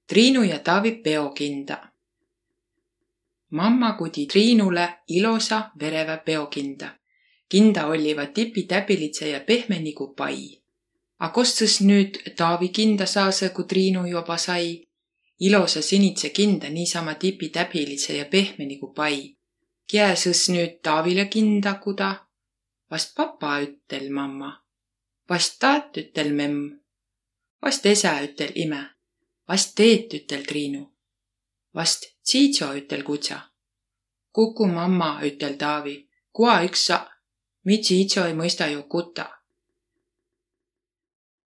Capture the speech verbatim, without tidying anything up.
Triinu ja Taavi peokinda. Mamma kudi Triinule ilosa verevä peokinda. Kinda olliva tipi täbilidse ja pehme nigu pai. A kos sõs nüüt Taavi kinda saasõ, ku Triinu joba sai? Ilosa sinidse kinda niisama tipi täbilidse ja pehme nigu pai. Kiä sõs nüüt Taavile kinda kuda? Vast papa, üttel mamma. Vast taat, üttel memm. Vast esä, üttel imä. Vast teet, üttel Triinu. Vast tsiidso, üttel kudsa. Kuku mamma, üttel Taavi, kua iks sa, mi tsiidso ei mõista jo kuta.